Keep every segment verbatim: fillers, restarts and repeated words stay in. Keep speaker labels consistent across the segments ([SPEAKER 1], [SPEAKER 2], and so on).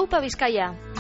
[SPEAKER 1] Aupa Bizkaia!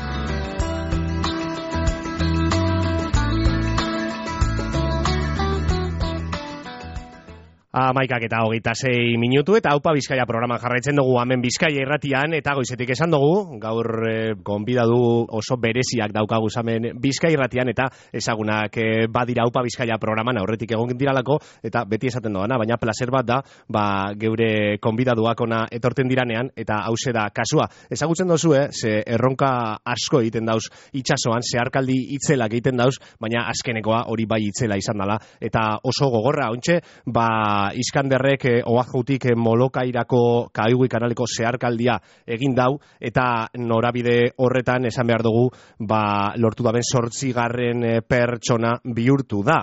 [SPEAKER 2] Amaikak eta hogeita sei minutu eta Aupa Bizkaia programan jarraitzen dugu hemen Bizkaia irratian eta goizetik esan dugu, gaur e, gonbidatu oso bereziak daukagu hemen Bizkaia irratian eta ezagunak e, badira Aupa Bizkaia programan aurretik egon diralako eta beti esaten doana, baina placer bat da, ba, geure gonbidatuak ona etorten diranean eta hause da kasua. Ezagutzen dozu, eh, ze erronka asko egiten dauz itsasoan, zeharkaldi itzelak egiten dauz, baina azkenekoa hori bai itzela izan dela eta oso gogorra, ontxe, ba Iskanderrek eh, oajutik eh, Molokairako Kaigui kanaleko zeharkaldia egin dau eta norabide horretan esan behar dugu ba, lortu daben zortzigarren eh, pertsona bihurtu da.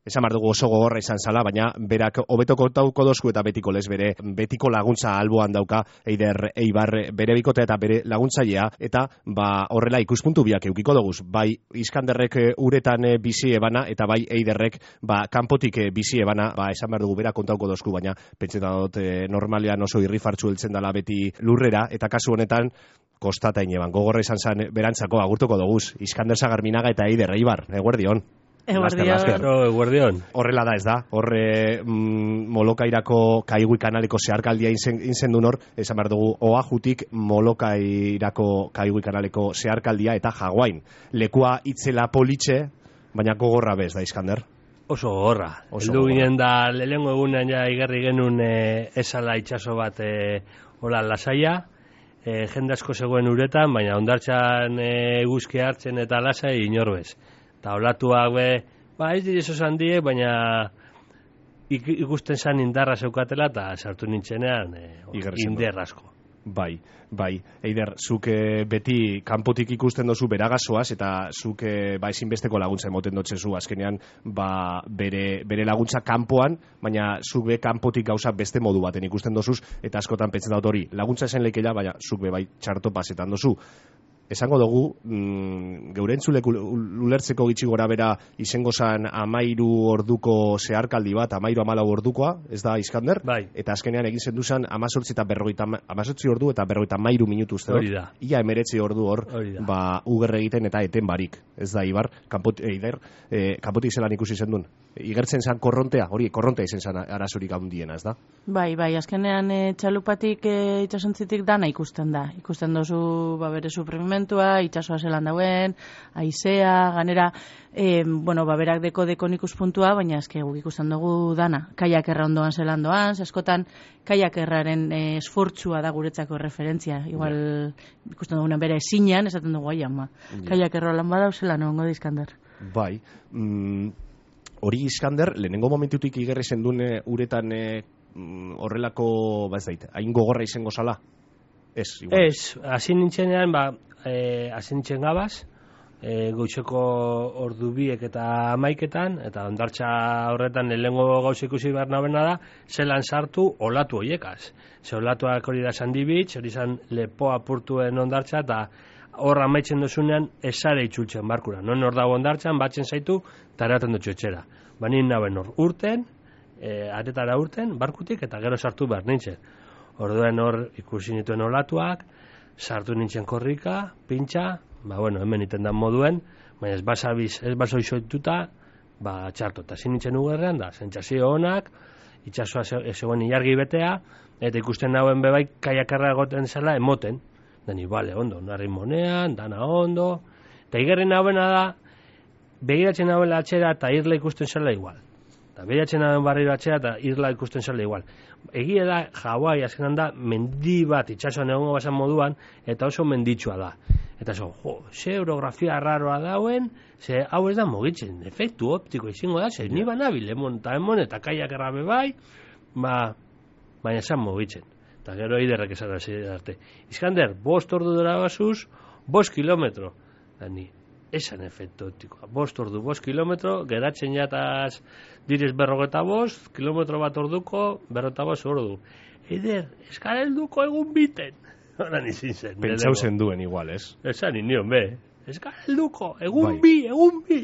[SPEAKER 2] Esan behar dugu oso gogorra izan zala, baina berak hobeto kontauko dozku eta betiko lez bere betiko laguntza alboan dauka Eider Eibar bere bikote eta bere laguntzailea eta ba, horrela ikuspuntu biak eukiko doguz. Bai Iskanderrek uretan bizi ebana eta bai Eiderrek ba, kanpotik bizi ebana, ba, esan behar dugu berak kontauko dozku, baina pentsetan dut eh, normalean oso irrifartzu heltzen dela beti lurrera eta kasu honetan kostata ineban. Gogorra izan zen berantzako agurtuko doguz. Iskander Sagarminaga eta Eider Eibar. Eguerdion.
[SPEAKER 3] Eguerdion.
[SPEAKER 2] Horrela da ez da, horre mm, Molokairako Kaigui kanaleko zeharkaldia inzen duen hor, esan behar dugu oajutik Molokairako Kaigui kanaleko zeharkaldia eta Jaguain. Lekua itzela politxe, baina gogorra bez da, Iskander?
[SPEAKER 3] Oso gogorra. Eldu ginen da, lehengo egunean ja igarri genuen e, esala itxaso bat e, hola lasaia, e, jende asko zegoen uretan, baina ondartxan e, eguzki hartzen eta lasai inorbez. Eta olatuak be, ba ez direzo zan die, baina ik, ikusten zan indarra zeukatela eta sartu nintzenean e, inder asko.
[SPEAKER 2] Bai, bai. Eider, zuk e, beti kanpotik ikusten dozu beragazoaz eta zuk e, ba, ezinbesteko laguntza emoten dotzezu azkenean ba, bere, bere laguntza kanpoan, baina zuk be kanpotik gauza beste modu baten ikusten dozuz eta askotan pentsen dut hori. Laguntza esen leikela, baina zuk be bai txarto pasetan dozu. Esango dugu, mm, geure entzulek ulertzeko gitxi gora bera izango zan amairu orduko zeharkaldi bat, amairu amalau ordukoa, ez da, Iskander?
[SPEAKER 3] Bai.
[SPEAKER 2] Eta azkenean egin zen duzan amazortzi eta berrogeita, amazortzi ordu eta berrogeita amairu minutu uste
[SPEAKER 3] hori da.
[SPEAKER 2] Ia emeretzi ordu hor, ba, uger egiten eta eten barik, ez da, Ibar, kanpot, eider, e, kanpotik zelan ikusi zen duen. Igertzen zan korrontea, hori, korrontea izen zan arazorik handiena, ez da?
[SPEAKER 4] Bai, bai, azkenean e, txalupatik e, itxasontzitik dana ikusten da. Ikusten dozu, ba, bere suprimimentua, itxasoa zelan dauen, aizea, ganera, e, bueno, ba, berak deko dekon ikuspuntua, baina eske guk ikusten dugu dana. Kaiakerra ondoan zelan doan, askotan kaiakerraren e, esfortzua da guretzako referentzia. Igual, yeah. ikusten dugunan bere esinean, esaten dugu aia, ma. Yeah. Kaiakerra lan badau zelan ongo da Iskander.
[SPEAKER 2] Bai, mm, hori Iskander, lehenengo momentutik igerri zendune uretan e, horrelako, ba ez dait, hain gogorra izango zala? Ez, igual.
[SPEAKER 3] Ez, hasi nintzenean, ba, e, hasi nintzen gabaz, e, goitzeko ordu biek eta amaiketan, eta ondartza horretan lehenengo gauza ikusi behar nabena da, zelan sartu olatu horiekaz. Ze olatuak hori da Sandibitz, hori zan lepo apurtuen ondartza, eta horra amaitzen dozunean esare itzultzen barkura. Non hor dago ondartzan, batzen zaitu, eta eraten dutxo etxera. Banin naben hor urten, e, atetara urten, barkutik, eta gero sartu behar nintzen. Orduen hor ikusi nituen olatuak, sartu nintzen korrika, pintxa, ba bueno, hemen iten dan moduen, baina ez basabiz, ez baso izoituta, ba txarto. Eta zin nintzen ugerrean da, zentzazio honak, itxasua zegoen ilargi betea, eta ikusten nauen bebai kaiakarra egoten zela emoten. Dani, bale, ondo, narri monean, dana ondo. Eta igerren hauena da, begiratzen hauela atxera eta irla ikusten zela igual. Eta begiratzen hauen barriro atxera eta irla ikusten zela igual. Egia da, Hawaii azkenan da, mendi bat itxasuan egongo basan moduan, eta oso menditsua da. Eta zo, jo, ze orografia raroa dauen, ze hau ez da mugitzen, efektu optiko izango da, ze ni banabil, emon eta emon, eta kaiak errabe bai, ba, baina esan mugitzen. Eta gero Eiderrek esan arte. Iskander, bost ordu dara basuz, bost kilometro. Dani, esan efektu optikoa. Bost ordu, bost kilometro, geratzen jataz direz berrogeta bost, kilometro bat orduko, berrogeta bost ordu. Eider, eskara helduko egun biten. Horan izin zen.
[SPEAKER 2] Pentsau zen duen igual, ez?
[SPEAKER 3] Esan inion, be. Eskara helduko, egun bai. bi, egun bi.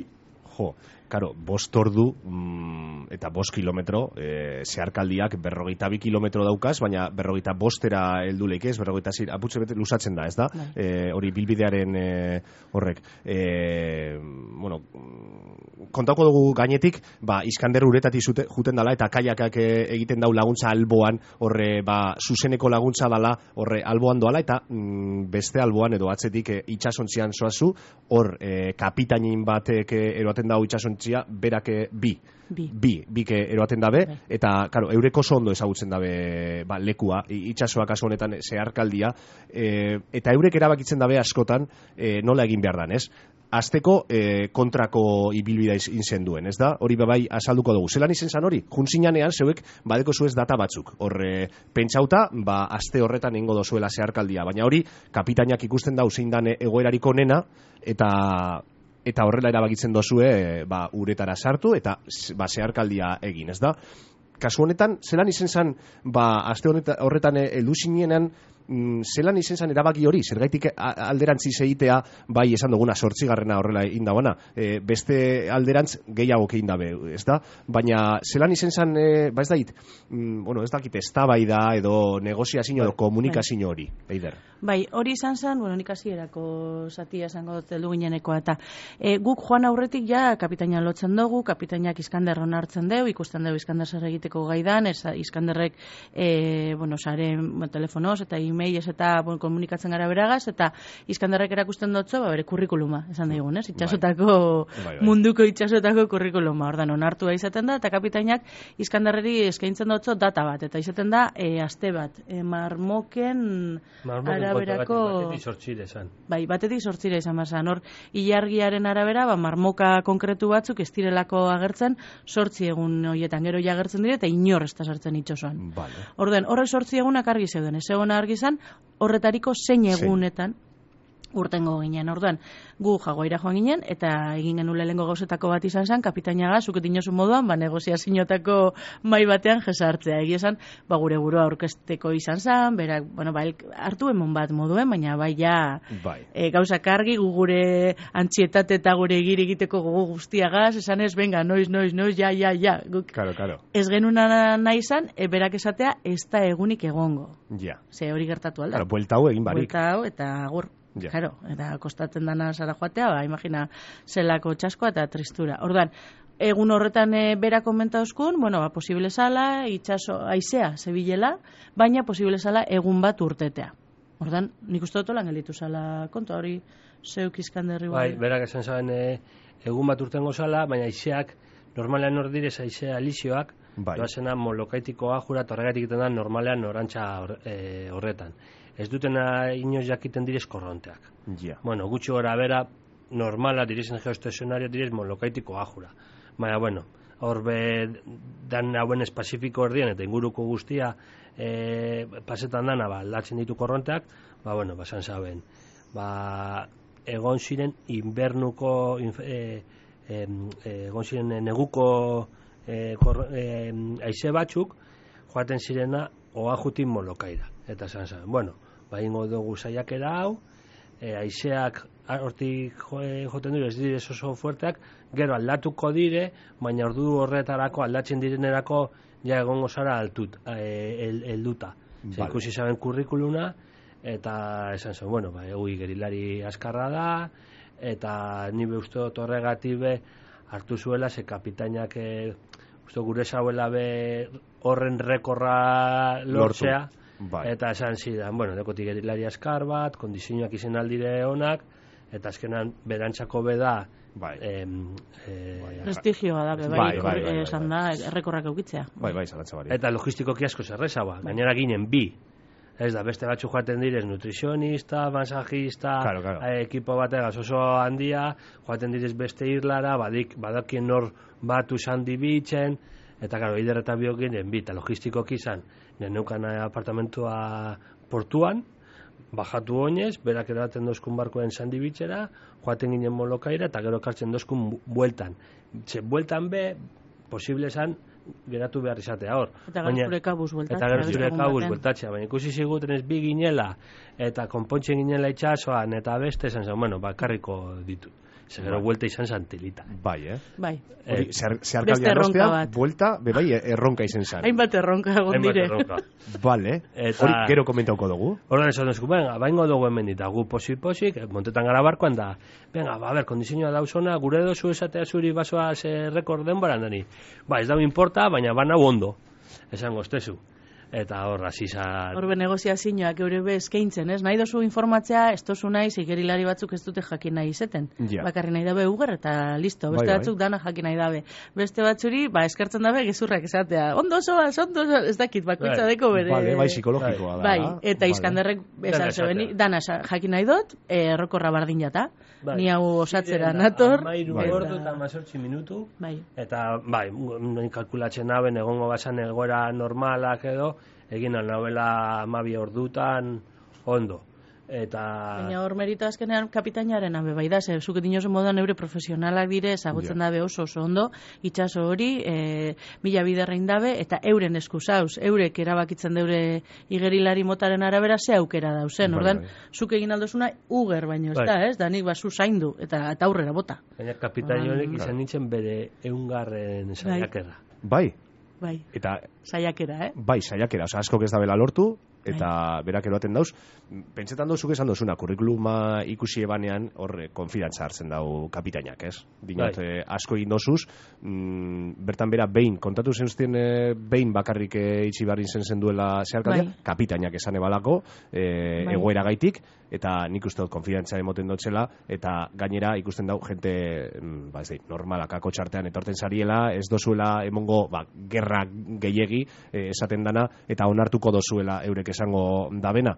[SPEAKER 2] Jo, karo, bost ordu mm, eta bost kilometro, e, zeharkaldiak berrogeita bi kilometro daukaz, baina berrogeita bostera heldu leik ez, berrogeita zir, aputxe bete lusatzen da, ez da? E, hori bilbidearen e, horrek. E, bueno, kontauko dugu gainetik, ba, Iskander uretatik zute, juten dala, eta kaiakak egiten dau laguntza alboan, horre, ba, zuzeneko laguntza dala, horre, alboan doala, eta mm, beste alboan edo atzetik e, itxasontzian zoazu, hor, e, kapitainin batek eroaten dau itxasontzia, berak e, bi. Bi. Bi, bike eroaten dabe, eta, karo, eureko oso ondo ezagutzen dabe ba, lekua, itxasoa kasu honetan zeharkaldia, e, eta eurek erabakitzen dabe askotan e, nola egin behar dan, ez? Azteko e, kontrako ibilbida izen duen, ez da? Hori bebai azalduko dugu. Zelan izen zan hori? Juntzinanean zeuek badeko zuez data batzuk. Horre, pentsauta, ba, aste horretan ingo dozuela zeharkaldia, baina hori, kapitainak ikusten dau zein dan egoerariko nena, eta... eta horrela erabakitzen dozue ba, uretara sartu eta ba, zeharkaldia egin, ez da? Kasu honetan, zelan izen zan, ba, aste horretan heldu zinenan, zelan izen zan erabaki hori, zergaitik alderantziz egitea, bai esan duguna sortzigarrena horrela indabana, e, beste alderantz gehiago kein dabe, ez da? Baina zelan izen zan, e, ba ez dait, mm, bueno, ez dakit eztabaida edo negoziazio edo komunikazio hori, Eider.
[SPEAKER 4] Bai, hori izan zen, bueno, nik hasierako zatia esango dut heldu ginenekoa, eta e, guk joan aurretik ja kapitaina lotzen dugu, kapitainak Iskander onartzen deu, ikusten deu Iskander zer egiteko gaidan, ez Iskanderrek, e, bueno, sare, bueno, telefonoz eta e-mailez eta bueno, komunikatzen gara beragaz, eta Iskanderrek erakusten dutzo, ba, bere kurrikuluma, esan daigun, ez? Itxasotako, bai. Bai, bai. Munduko itxasotako kurrikuluma, ordan onartua izaten da, eta kapitainak Iskanderreri eskaintzen dutzo data bat, eta izaten da, e, aste bat, e, marmoken,
[SPEAKER 3] marmoken araberako... Batetik sortxire esan.
[SPEAKER 4] Bai, batetik sortxire izan bazan. Hor, ilargiaren arabera, ba, marmoka konkretu batzuk ez direlako agertzen sortzi egun horietan. Gero ja agertzen dire, eta inor ez da sartzen itxosoan.
[SPEAKER 2] Vale.
[SPEAKER 4] Orden, horrek sortzi egunak argi zeuden. Ez egon argi zan, horretariko zein egunetan urtengo ginen. Orduan, gu jaguaira joan ginen, eta egin genuen lehengo gauzetako bat izan zen, kapitainaga, zuket inozu moduan, ba, negoziazinotako mai batean jesartzea. Egia esan, ba, gure burua aurkezteko izan zen, berak, bueno, ba, hartu emon bat moduen, baina bai, ja,
[SPEAKER 2] bai.
[SPEAKER 4] E, gauzak argi, gu gure antxietate eta gure egir egiteko gogo guztiagaz, esan ez, venga, noiz, noiz, noiz, ja, ja, ja. Guk,
[SPEAKER 2] claro, claro.
[SPEAKER 4] Ez genuna nahi izan, e, berak esatea, ez da egunik egongo.
[SPEAKER 2] Ja.
[SPEAKER 4] Ze hori gertatu alda.
[SPEAKER 2] Claro, buelta hau egin barik.
[SPEAKER 4] Buelta hau, eta agur.
[SPEAKER 2] Yeah.
[SPEAKER 4] Claro, eta kostatzen dana zara joatea, ba, imagina zelako txaskoa eta tristura. Orduan, egun horretan e, bera komentauzkun, bueno, ba, posible zala, itxaso, aizea, zebilela, baina posible zala egun bat urtetea. Orduan, nik uste dut lan gelitu zala kontu, hori zeuk Iskanderri.
[SPEAKER 3] Bai, berak esan zaben e, egun bat urtengo zala, baina aizeak, normalean hor direz aizea alizioak, bai. Doazena molokaitikoa jurat horregatik egiten da normalean orantxa e, horretan. Ez dutena inoz jakiten direz korronteak.
[SPEAKER 2] Yeah.
[SPEAKER 3] Bueno, gutxi gora bera, normala direzen geoestacionario direz molokaitiko ajura. Baina, bueno, hor be dan hauen espazifiko erdien eta inguruko guztia e, pasetan dana, ba, aldatzen ditu korronteak, ba, bueno, basan zaben. Ba, egon ziren inbernuko, e, e, egon ziren neguko e, kor, e, aize batzuk, joaten zirena oajutin molokaira. Eta zan zaben, bueno, ba, ingo dugu saiakera hau, e, aizeak hortik jo, joten dure, ez dire oso fuerteak, gero aldatuko dire, baina ordu horretarako aldatzen direnerako ja egongo zara altut, e, helduta. Vale. Ikusi zaben kurrikuluna, eta esan zen, bueno, ba, egui gerilari askarra da, eta nire uste dut horregatik be hartu zuela, ze kapitainak e, uste gure zauela be horren rekorra lortzea, bai. Eta esan zidan, bueno, dekotik gerilari askar bat, kondizioak izen aldire honak, eta azkenan berantzako beda, bai. Em, e,
[SPEAKER 4] bai, prestigioa da, bai, bai, bai, bai, esan da, errekorrak eukitzea.
[SPEAKER 2] Bai, bai, zalantza bari.
[SPEAKER 3] Eta logistikoki asko zerreza ba, bai. Gainera ginen bi. Ez da, beste batzu joaten direz nutrizionista, masajista, claro, claro. Ekipo bategaz oso handia, joaten direz beste irlara, badik, badakien nor batu zandi bitzen, eta gero, Eider eta biok ginen bi, eta logistikoki izan, neneukan apartamentua portuan, bajatu oinez, berak eraten dozkun barkoen zandi bitxera, joaten ginen molokaira, eta gero kartzen dozkun bueltan. Txe, bueltan be, posible esan, geratu behar izatea hor.
[SPEAKER 4] Eta gara zure kabuz bueltatzea.
[SPEAKER 3] Eta gara zure kabuz bueltatzea, baina ikusi ziguten ez bi ginela, eta konpontzen ginela itxasoan, eta beste, esan zen, bueno, bakarriko ditut. Zegero buelta izan zantilita.
[SPEAKER 2] Bai, eh?
[SPEAKER 4] Bai.
[SPEAKER 2] Hori,
[SPEAKER 3] Eh,
[SPEAKER 2] zeharkaldian ostean, buelta, bebai, erronka izen zan.
[SPEAKER 4] Hainbat erronka egon
[SPEAKER 3] Hainbat
[SPEAKER 4] dire.
[SPEAKER 3] erronka.
[SPEAKER 2] Vale.
[SPEAKER 3] Eta-
[SPEAKER 2] Hori, gero komentauko dugu.
[SPEAKER 3] Horren esan duzku, venga, baingo dugu hemen dita, gu posik-posik, montetan gara barkoan da, venga, ba, ber, kondizioa dauzona, gure dozu esatea zuri basoa ze rekorden baran dani. Ba, ez da importa, baina bana ondo, esango estezu. Eta hor, azizan...
[SPEAKER 4] Horbe negoziazioak eure be eskaintzen, ez? Nahi dozu informatzea, ez dozu nahi, igerilari batzuk ez dute jakin nahi izeten.
[SPEAKER 2] Ja.
[SPEAKER 4] Bakarri nahi dabe uger eta listo, beste
[SPEAKER 2] Bai, bai.
[SPEAKER 4] batzuk dana jakin nahi dabe. Beste batzuri, ba, eskertzen dabe gezurrak esatea. Ondo zoaz, ondo zoaz, ez dakit, bakoitza
[SPEAKER 3] Bai.
[SPEAKER 4] deko bere...
[SPEAKER 2] Vale, bai, psikologikoa da.
[SPEAKER 4] Bai, eta
[SPEAKER 2] Vale.
[SPEAKER 4] Iskanderrek
[SPEAKER 3] Dana
[SPEAKER 4] esan
[SPEAKER 3] esatea.
[SPEAKER 4] zebeni, dana sa- jakin nahi dut, eh, errokorra bardin jata.
[SPEAKER 3] Bai.
[SPEAKER 4] Ni hau osatzera
[SPEAKER 3] Ziren,
[SPEAKER 4] nator.
[SPEAKER 3] Amairu
[SPEAKER 2] Bai.
[SPEAKER 3] ordu eta amazortzi minutu.
[SPEAKER 4] Bai.
[SPEAKER 3] Eta, bai, nahi kalkulatzen naben, egongo basan egoera normalak edo, egin alnabela amabi ordutan, ondo. Eta...
[SPEAKER 4] Baina hor merito azkenean kapitainaren abe bai da, ze zuke dinosu moduan eure profesionalak dire, ezagutzen
[SPEAKER 2] Ja.
[SPEAKER 4] dabe oso oso ondo, itxaso hori, e, mila biderrein dabe, eta euren eskusauz, eurek erabakitzen deure igerilari motaren arabera ze aukera dauzen,
[SPEAKER 2] Bai,
[SPEAKER 4] ordan,
[SPEAKER 2] bai.
[SPEAKER 4] zuk egin aldozuna uger baino, ez
[SPEAKER 3] Bai.
[SPEAKER 4] da, ez? Da nik basu zaindu, eta, eta aurrera bota.
[SPEAKER 3] Baina kapitain honek izan nintzen bere eungarren saiakera.
[SPEAKER 2] Bai,
[SPEAKER 4] Bai,
[SPEAKER 2] eta
[SPEAKER 4] saiakera, eh?
[SPEAKER 2] bai, saiakera, oza, askok ez dabela lortu, eta berak eroaten dauz, pentsetan dozuk esan dozuna, kurrikuluma ikusi ebanean, hor, konfidantza hartzen dau kapitainak, ez? Dinot,
[SPEAKER 3] Bai.
[SPEAKER 2] eh, asko egin dozuz, mm, bertan bera behin, kontatu zenuztien eh, behin bakarrik eh, itxi barrin zen zen duela zeharkaldia,
[SPEAKER 4] Bai.
[SPEAKER 2] kapitainak esan ebalako, eh,
[SPEAKER 4] Bai.
[SPEAKER 2] egoera gaitik, eta nik uste dut konfidantza emoten dotzela, eta gainera ikusten dau, jente, mm, ba ez dait, normalak ako txartean etorten zariela, ez dozuela emongo, ba, gerra gehiegi eh, esaten dana, eta onartuko dozuela eurek esango dabena.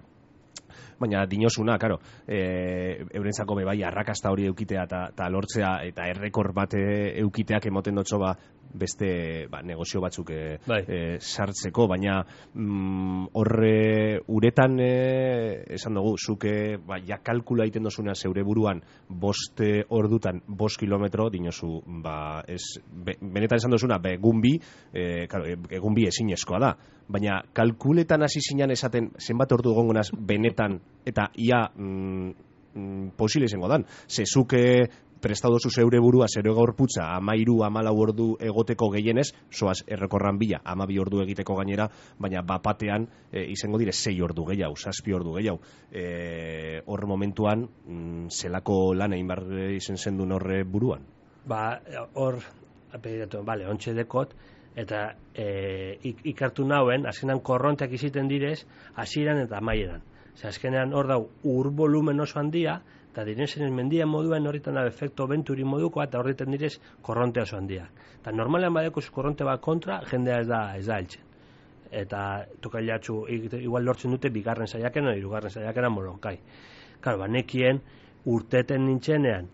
[SPEAKER 2] Baina dinosuna, karo, e, eurentzako be bai arrakasta hori eukitea eta lortzea eta errekor bat eukiteak emoten dotzo ba beste ba, negozio batzuk e,
[SPEAKER 3] Bai.
[SPEAKER 2] e, sartzeko, baina mm, horre uretan e, esan dugu, zuke ba, ja kalkula egiten dozuna zeure buruan bost e, ordutan bost kilometro dinosu, ba, ez, be, benetan esan dozuna, be, egun bi, e, claro, egun bi ezinezkoa da, baina kalkuletan hasi zinan esaten zenbat ordu egongo naz benetan eta ia mm, mm, posible izango dan. Zezuke prestatu dozu zeure burua, zero gorputza, amairu, amalau ordu egoteko gehienez, soaz errekorran bila, amabi ordu egiteko gainera, baina bapatean e, izango dire sei ordu gehiago, zazpi ordu gehiago. E, hor momentuan, mm, zelako lan egin behar izen zendun horre buruan?
[SPEAKER 3] Ba, hor, apelidatu, bale, ontxe dekot, eta e, ik, ikartu nauen, azkenan korronteak iziten direz, hasieran eta amaieran. Zer, azkenean hor dau, ur volumen oso handia, eta direnzen mendia moduen horretan da efekto venturi modukoa, eta horretan direz korronte oso handia. Eta normalean badeko korronte bat kontra, jendea ez da, ez da heltzen. Eta tokailatzu, igual lortzen dute bigarren saiakena, hirugarren saiakena moronkai. Claro, banekien urteten nintzenean,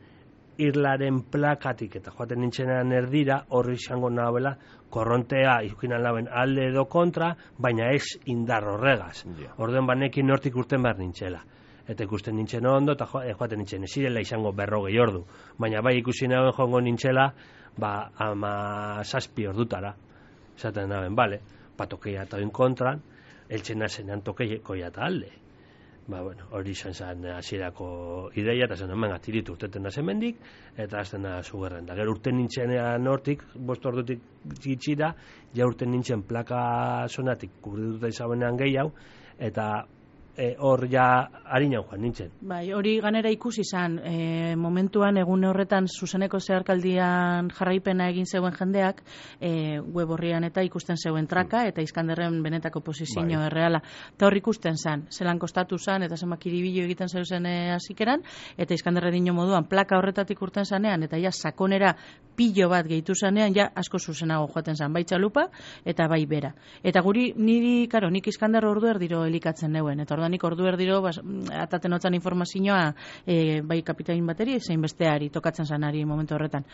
[SPEAKER 3] irlaren plakatik eta joaten nintzenean erdira, horri izango nahabela, korrontea izkinan laben alde edo kontra, baina ez indar horregaz.
[SPEAKER 2] Ja.
[SPEAKER 3] Orden banekin nortik urten behar nintzela. Eta ikusten nintzen ondo, eta jo, joaten nintzen, ez zirela izango berrogei ordu. Baina bai ikusi naben joango nintzela, ba, ama zazpi ordutara. Esaten naben, bale, patokeia eta oin kontran, eltzen zenean tokeikoia eta alde. Ba, bueno, hori izan zen hasierako ideia, eta zen hemen atiritu urteten da zemendik, eta azten da zugerren. Da, gero urten nintzenean hortik, bost ordutik gitxira, ja urten nintzen plaka zonatik kubrituta izabenean gehiago, eta e, hor ja harinan joan nintzen.
[SPEAKER 4] Bai, hori ganera ikusi izan, e, momentuan egun horretan zuzeneko zeharkaldian jarraipena egin zeuen jendeak, e, web horrian eta ikusten zeuen traka, eta Iskanderren benetako posizio
[SPEAKER 2] Bai.
[SPEAKER 4] erreala. Eta hor ikusten zan, zelan kostatu zan, eta zenbak iribilo egiten zeuzen e, hasikeran, eta Iskanderre dino moduan plaka horretatik urten zanean, eta ja sakonera pilo bat gehitu zanean, ja asko zuzenago joaten zan, bai txalupa, eta bai bera. Eta guri, niri, karo, nik Iskanderro ordu erdiro elikatzen neuen, eta ordanik ordu erdiro, bas, ataten otzan informazioa, e, bai kapitain bateri, zein besteari, tokatzen zanari momentu horretan.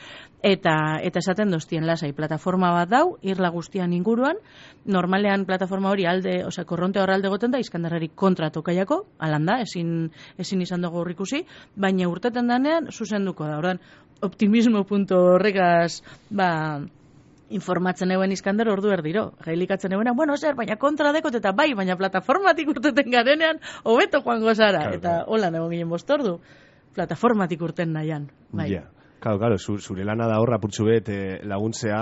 [SPEAKER 4] Eta, eta esaten doztien lasai, plataforma bat dau, irla guztian inguruan, normalean plataforma hori alde, osea, korronte hor alde goten da, Iskanderrari kontra tokaiako, alan da, ezin, ezin izan dugu ikusi, baina urteten danean, zuzenduko da, ordan, optimismo punto horregaz, ba, informatzen euen Iskander ordu erdiro. Gailikatzen euena, bueno, zer, baina kontra dekot eta bai, baina plataformatik urteten garenean, hobeto joango zara.
[SPEAKER 2] Claro,
[SPEAKER 4] eta
[SPEAKER 2] claro.
[SPEAKER 4] hola egon ginen bost ordu. plataformatik urten nahian. Bai.
[SPEAKER 2] Ja. Claro, claro, zure lana da horra purtsu bet eh, laguntzea,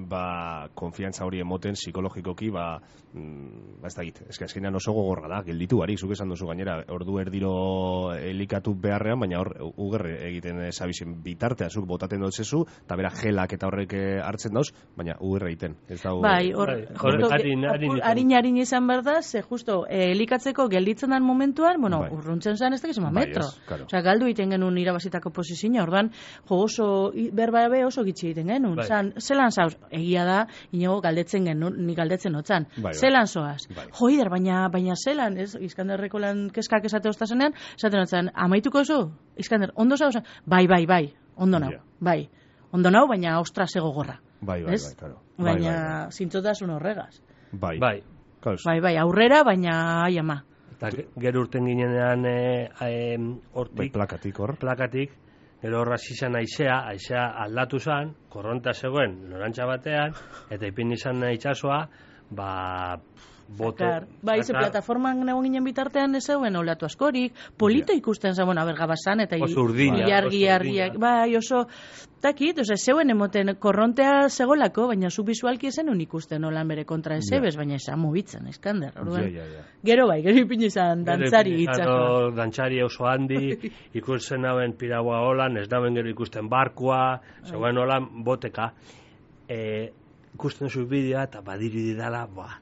[SPEAKER 2] ba, konfiantza hori emoten psikologikoki, ba, mm, ba ez da git, eske azkenean oso gogorra da, gelditu barik, zuk esan duzu gainera, ordu erdiro elikatu beharrean, baina hor, ugerre egiten zabizien bitartea, zuk botaten dutzezu, eta bera gelak eta horrek hartzen dauz, baina ugerre egiten. Ez da,
[SPEAKER 4] bai, hor, harin-harin izan behar da, ze justo, eh, elikatzeko gelditzen den momentuan, bueno, bai. Urruntzen zen ez da gizema metro. Bai, claro. Osea, galdu egiten genuen irabazitako posizioa, ordan, jo, oso, berba be oso gitxi egiten genuen. Bai. Zan, zelan zauz, egia da, inigo galdetzen genuen, ni galdetzen otzan. Bai, bai. Zelan zoaz. Bai. Joider, baina, baina zelan, ez, Iskanderreko lan keskak esate oztazenean, esaten otzan, amaituko zu? Iskander, ondo zauz? Bai, bai, bai, ondo nau, yeah. bai. Ondo nau, baina ostra zego gorra. Bai, bai, bai, claro. Baina, bai, bai, bai. Zintzotasun horregaz.
[SPEAKER 2] Bai. Bai.
[SPEAKER 4] Bai, bai, aurrera, baina, ai ama.
[SPEAKER 3] Eta gero urten ginenean, eh, eh, hortik.
[SPEAKER 2] Bai, plakatik hor.
[SPEAKER 3] Plakatik. Gero horra zizan aizea, aizea aldatu zan, korronta zegoen norantza batean, eta ipin izan itxasoa, ba, bote...
[SPEAKER 4] Ba, ize plataforman egon ginen bitartean ez zegoen olatu askorik, polito ikusten zen, bueno, abergabazan, eta ilargi, argiak, bai, oso, takit, ose, zegoen emoten korrontea zegolako, baina zu bisualki esen un ikusten olan bere kontra ezebez, baina esan mugitzen, Iskander, orduan. Gero bai, gero ipin izan dantzari itxasoa.
[SPEAKER 3] Dantzari oso handi, ikusten hauen piraua holan, ez dauen gero ikusten barkua, zegoen holan boteka, ikusten zu bidea, eta badiri didala, boa.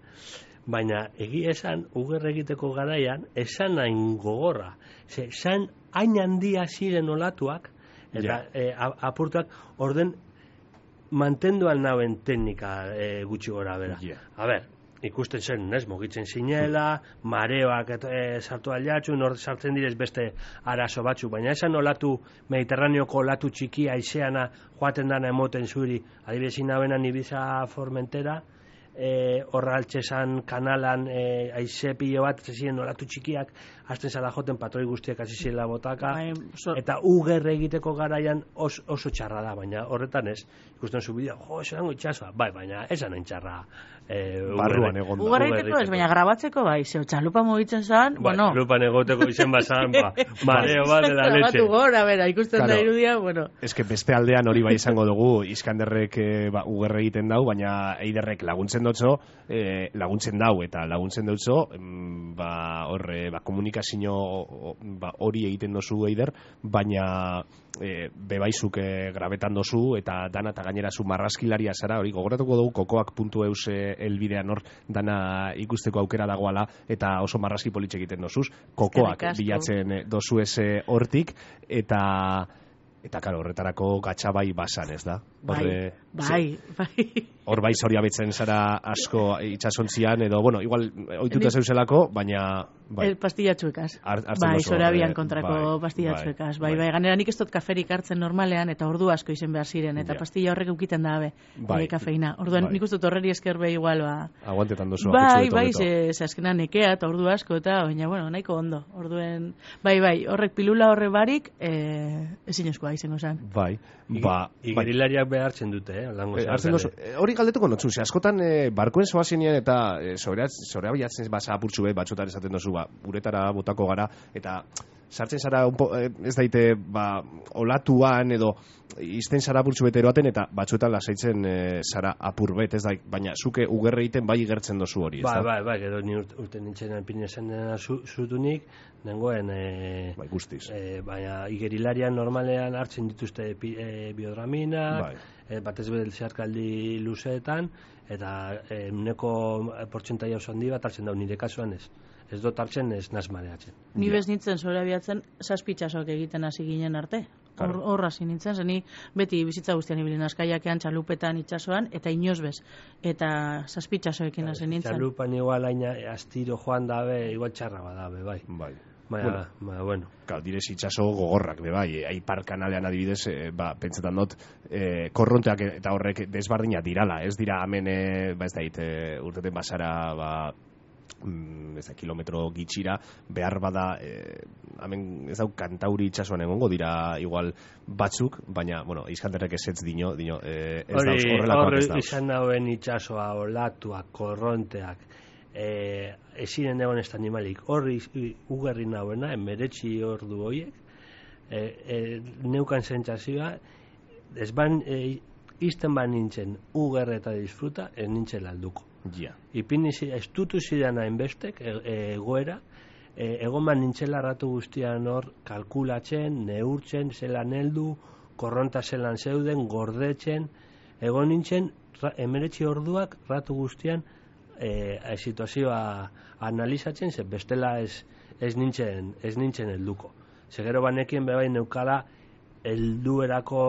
[SPEAKER 3] Baina egia esan, ugerre egiteko garaian, esan hain gogorra. Ze, esan hain handia ziren olatuak, eta yeah. e, apurtuak, orden mantenduan nauen teknika e, gutxi gora bera. Yeah. A ber, ikusten zen, ez, mugitzen zinela, mareoak e, sartu aliatxu, nor sartzen direz beste arazo batzu, baina esan olatu, Mediterraneoko olatu txiki aizeana joaten dana emoten zuri, adibidez inabenan Ibiza Formentera, E, horra altxesan kanalan e, aize pilo bat zezien olatu txikiak hasten zala joten patroi guztiak azizela botaka Ai, so... eta ugerre egiteko garaian os, oso txarra da, baina horretan ez ikusten zu bideo, jo, esan itxasoa bai, baina esan hain txarra e,
[SPEAKER 2] barruan egon da
[SPEAKER 4] ugerre egiteko ez, baina grabatzeko bai, zeu txalupa mugitzen zan
[SPEAKER 3] bai,
[SPEAKER 4] bueno
[SPEAKER 3] txalupan egoteko izen bazan ba, mareo bat dela letxe
[SPEAKER 4] gora, bera, ikusten claro. Da irudia bueno.
[SPEAKER 2] Ez que beste aldean hori bai izango dugu Iskanderrek e, ba, ugerre egiten dau, baina Eiderrek laguntzen dutzo, eh, laguntzen dau eta laguntzen dutzo ba, horre, ba, komunikazio ba, hori egiten dozu Eider, baina e, bebaizuk e, grabetan dozu eta dana eta gainera zu marraskilaria zara, hori gogoratuko dugu kokoak puntu eus elbidean hor dana ikusteko aukera dagoala eta oso marraski politxe egiten dozuz, kokoak bilatzen dozu eze hortik eta eta karo, horretarako gatxabai basan, ez da?
[SPEAKER 4] Horre, bai, bai.
[SPEAKER 2] Hor bai zoria betzen zara asko itxasontzian, edo, bueno, igual oituta zeuzelako, baina...
[SPEAKER 4] Bai. El pastillatxuekaz. Bai, zorabian kontrako bai, pastillatxuekaz. Bai, bai, bai, ganera nik ez dut kaferik hartzen normalean, eta ordu asko izen behar ziren, eta ja. Pastilla horrek eukiten da, be, bai. E, kafeina. Orduan, bai. Nik uste dut horreri esker be igual, ba...
[SPEAKER 2] Aguantetan dozu.
[SPEAKER 4] Bai, bai, ze, ze azkenan nekea, eta ordu asko, eta, baina, bueno, nahiko ondo. Orduen, bai, bai, horrek pilula horre barik, eh, ezin eskoa izango zen.
[SPEAKER 2] Bai, ba...
[SPEAKER 3] Igerilariak behartzen dute, eh?
[SPEAKER 2] eh hori galdetuko notzu, ze askotan eh, barkoen zoazenean eta eh, zorea bilatzen basa apurtzu be, batxotan esaten dozu, ba, uretara botako gara, eta sartzen zara, po, eh, ez daite, ba, olatuan edo izten zara apurtzu beteroaten, eta batzuetan lasaitzen eh, zara apur bet, ez da, baina zuke ugerre egiten bai igertzen dozu hori, ez
[SPEAKER 3] da? Bai, bai, bai, gero ni urte nintzen pinezen zutunik, nengoen, e,
[SPEAKER 2] bai, guztiz.
[SPEAKER 3] E, baina igerilarian normalean hartzen dituzte pi, e, biodraminak, bai. E, batez bere zeharkaldi luzeetan, eta e, neko portzentai oso handi bat hartzen dau, nire kasuan ez. Ez dut hartzen ez nazmareatzen.
[SPEAKER 4] Ni bez nintzen zora biatzen zazpitxasok egiten hasi ginen arte. Horra claro. Hasi nintzen, zeni beti bizitza guztian ibilin askaiakean, txalupetan, itxasoan, eta inoz bez. Eta zazpitxasoekin hasi nintzen.
[SPEAKER 3] Txalupan igual aina astiro joan dabe, igual txarra badabe, bai.
[SPEAKER 2] Bai.
[SPEAKER 3] Baina, bueno, baina, bueno.
[SPEAKER 2] Claro, direz itxaso gogorrak, be, bai, aipar kanalean adibidez, e, ba, pentsetan dut, e, korronteak eta horrek desbardina dirala, ez dira hemen, e, ba ez dait, e, urteten basara, ba, mm, ez da, kilometro gitxira, behar bada, e, hemen ez dau kantauri itxasoan egongo dira igual batzuk, baina, bueno, Iskanderrek esetz dino, dino, e, ez dauz, horrelakoak ez dauz.
[SPEAKER 3] Hori, izan dauen itxasoa, olatuak, korronteak, Eh, ezinen egon ez animalik horri ugarri nauena, emeretzi ordu horiek, e, e, neukan sentsazioa, ez ban, e, izten ban nintzen uger eta disfruta, ez nintzen alduko.
[SPEAKER 2] Ja.
[SPEAKER 3] Ipini estutu zidan hainbestek e, e, egoera, e, egon ban nintzela ratu guztian hor kalkulatzen, neurtzen, zelan heldu, korronta zelan zeuden, gordetzen, egon nintzen emeretzi orduak ratu guztian e, e, situazioa analizatzen, ze bestela ez, ez nintzen ez nintzen helduko. Segero banekien bebai neukala helduerako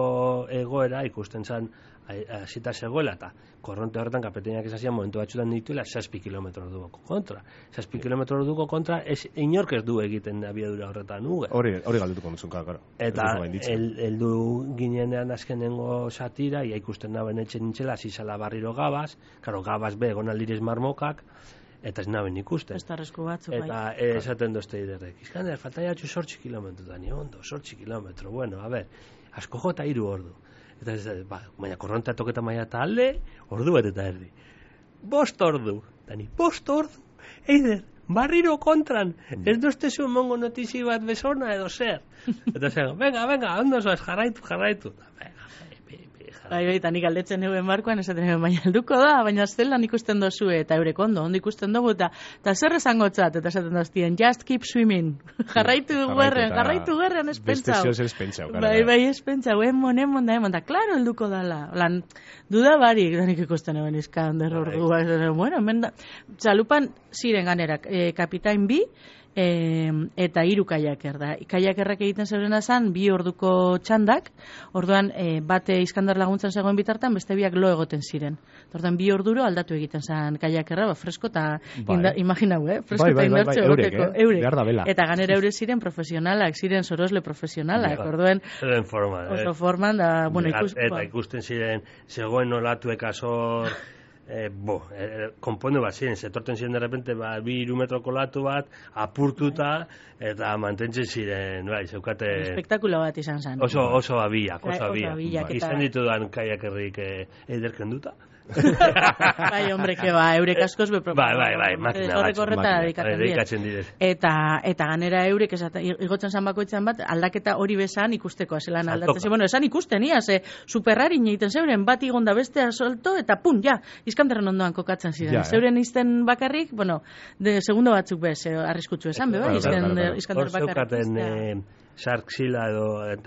[SPEAKER 3] egoera ikusten zen hasita zegoela, eta korronte horretan kapeteinak esazian momentu batzutan dituela zazpi kilometro orduko kontra. Zazpi kilometro orduko kontra ez, inork ez du egiten abiadura horretan uge.
[SPEAKER 2] Hori, hori galdetuko duzun, karo.
[SPEAKER 3] Eta heldu ginenean azkenengo satira, ia ikusten naben etxen nintzela, zizala barriro gabaz, karo, gabaz be, egon aldirez marmokak, eta ez naben ikusten.
[SPEAKER 4] Estarrezko batzuk, bai.
[SPEAKER 3] Eta eh, esaten dozte iderrek. Izkander, falta jatxu sortzi kilometro, da ni ondo, sortzi kilometro, bueno, a ber, asko jota hiru ordu. Eta ez da, ba, baina korrontea toketa maia eta alde, ordu bat eta erdi. Bost ordu, dani, bost ordu, eider, barriro kontran, ez dozte zuen mongo notizi bat bezona edo zer. Eta zer, venga, venga, ondo zoaz, jarraitu, jarraitu.
[SPEAKER 4] Bai, bai, eta nik aldetzen eguen barkoan, esaten eguen, baina helduko da, baina zelan ikusten dozu, eta eurek ondo, ondo ikusten dugu, eta, eta zer esango txat, eta esaten doztien, just keep swimming, jarraitu guerren, jarraitu guerren espentzau.
[SPEAKER 2] Beste zioz espentzau, gara.
[SPEAKER 4] Bai, bai, espentzau, emon, emon, da, emon, da, klaro helduko dala. Lan, duda barik, da nik ikusten eguen izkan, derrordu, bueno, hemen da, txalupan ziren ganerak, eh, kapitain bi, E, eta hiru kaiaker da. Kaiakerrak egiten zeurena zan, bi orduko txandak, orduan e, bate Iskandar laguntzan zegoen bitartan, beste biak lo egoten ziren. Orduan bi orduro aldatu egiten zan kaiakerra, ba, fresko eta bai. Imaginau, eh? Fresko
[SPEAKER 2] bai,
[SPEAKER 4] eta
[SPEAKER 2] bai,
[SPEAKER 4] indartxo
[SPEAKER 2] bai, bai,
[SPEAKER 4] egoteko.
[SPEAKER 2] Eurek, eh? Eurek.
[SPEAKER 4] Eta ganera eure ziren profesionalak, ziren sorosle profesionalak,
[SPEAKER 3] ja,
[SPEAKER 4] orduan
[SPEAKER 3] forma,
[SPEAKER 4] oso forman da, bueno, ikus,
[SPEAKER 3] eta ikusten ziren, zegoen olatuek azor, Eh, bo, eh, konpondu bat ziren, zetorten ziren de repente ba, bi iru metroko latu bat, apurtuta, eta mantentzen ziren, bai, zeukate...
[SPEAKER 4] Espektakulo bat izan zen.
[SPEAKER 3] Oso, oso abiak, oso abiak.
[SPEAKER 4] Ba,
[SPEAKER 3] izan ditudan kaiakerrik eh, eiderken duta.
[SPEAKER 4] Bai, hombre, que ba, eurek askoz be
[SPEAKER 3] Bai, bai, bai, makina bat.
[SPEAKER 4] Dedikatzen
[SPEAKER 3] direz.
[SPEAKER 4] Eta, eta ganera eurek, esaten, igotzen zan bakoitzan bat, aldaketa hori bezan ikusteko, zelan aldatzen. Bueno, esan ikusten, ia, ze superrari egiten zeuren, bat igonda bestea solto, eta pun, ja, Iskanderren ondoan kokatzen ziren. Ja, zeuren izten bakarrik, bueno, de segundo batzuk bez, arriskutsu esan, be, bai, Iskander bakarrik.
[SPEAKER 3] Sarksila edo